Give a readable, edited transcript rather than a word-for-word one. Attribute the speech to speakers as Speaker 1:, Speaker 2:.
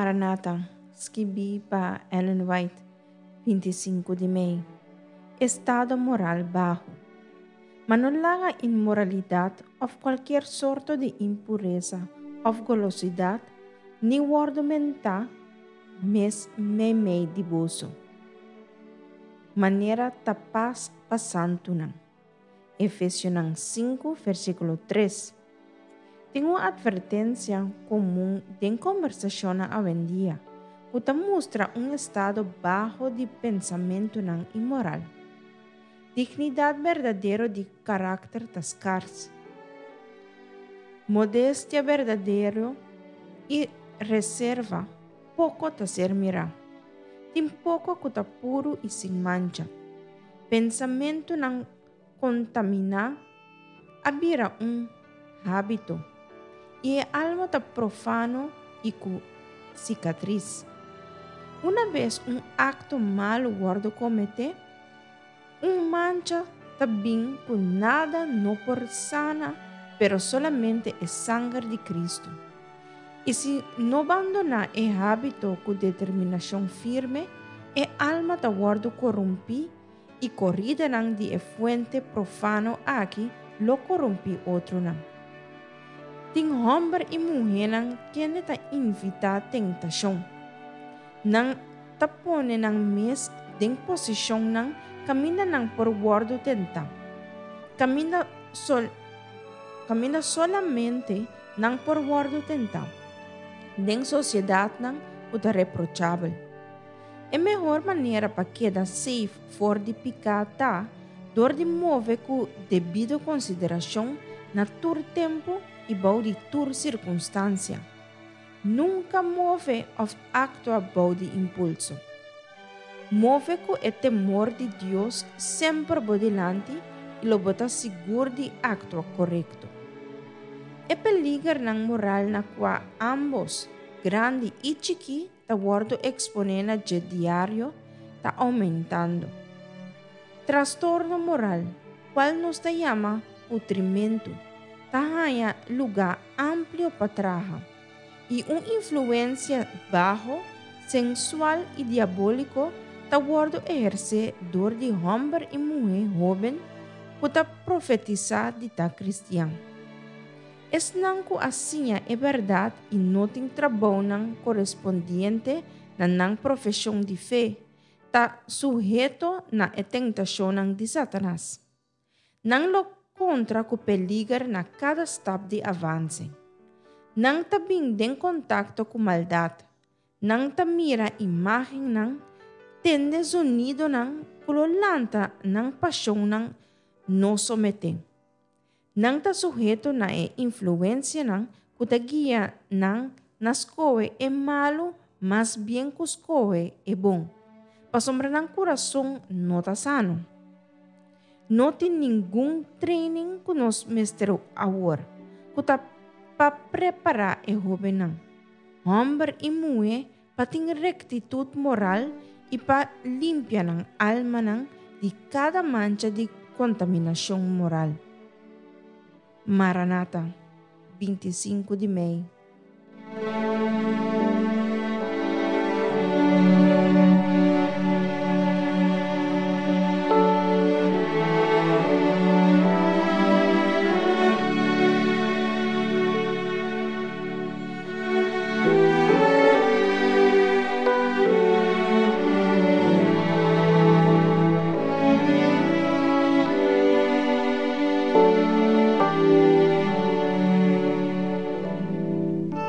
Speaker 1: Maranata, skibí pa Ellen White, 25 di mei. Estado moral baho. Ma no laga inmoralidat òf kualkier sorto di impuresa òf golosidat ni wòrdu mentá mes meimei di boso, manera ta pas pa santunan. Efesionan 5, versíkulo 3. Tin un atvertensia komun den kombersashonnan awendia ku ta mustra un estado baho di pensamentunan inmoral. Dignidat berdadero di karakter ta skars. Modestia berdadero i reserva poko ta ser mirá. Tin poko ku ta puru i sin mancha. Pensamentunan kontaminá a bira un hábito, i e alma ta profano i ku sikatris. Una bes un akto malu wòrdu kometé, un mancha ta bin ku nada no por sana pero solamente e sanger di Kristu. I si no bandoná e hábito ku determinashon firme, e alma ta wòrdu korumpí i koridanan di e fuente profano aki lo korumpí otronan. Tin hòmber i muhénan kende ta invitá tentashon. Nan ta pone nan mes den posishonnan kaminda nan por wòrdu tentá, kaminda sol kaminda solamente nan por wòrdu tentá, den sosiedatnan ku ta reprochabel. E mehor manera pa keda safe for di piká ta dor di move ku debido konsiderashon na tur tempu i bou di tur sirkunstansia. Nunka move òf aktua bou di impulso. Move ku e temor di Dios semper bo dilanti i lo bo ta sigur di aktua korekto. E peligernan moral na kua ámbos, grandi i chikí, ta wòrdu eksponé na dje diario ta oumentando. Trastorno moral, kual nos ta yama putrimentu, ta haña lugá amplio pa traha, i un influensia baho, sensual i diabóliko ta wòrdu ehersé dor di hòmber i muhé hóben ku ta profetisá di ta kristian. Esnan ku a siña e bèrdat i no tin trabounan korespondiente na nan profeshon di fe, ta suheto na e tentashonnan di Satanas. Nan lo kontra ku peliger na kada stap di avanse. Nan ta bin den kontakto ku maldat. Nan ta mira imágennan, tende zonidonan ku lo lanta nan pashonnan no someté. Nan ta suheto na e influensianan ku ta guia nan na skohe e malu mas bien ku skohe e bon, pasobra nan kurason no ta sano. No tin ningun training ku nos mester awor ku ta pa prepará e hóbennan, hòmber i muhé pa tin rektitut moral i pa limpia nan almanan di kada mancha di kontaminashon moral. Maranata, 25 di mei.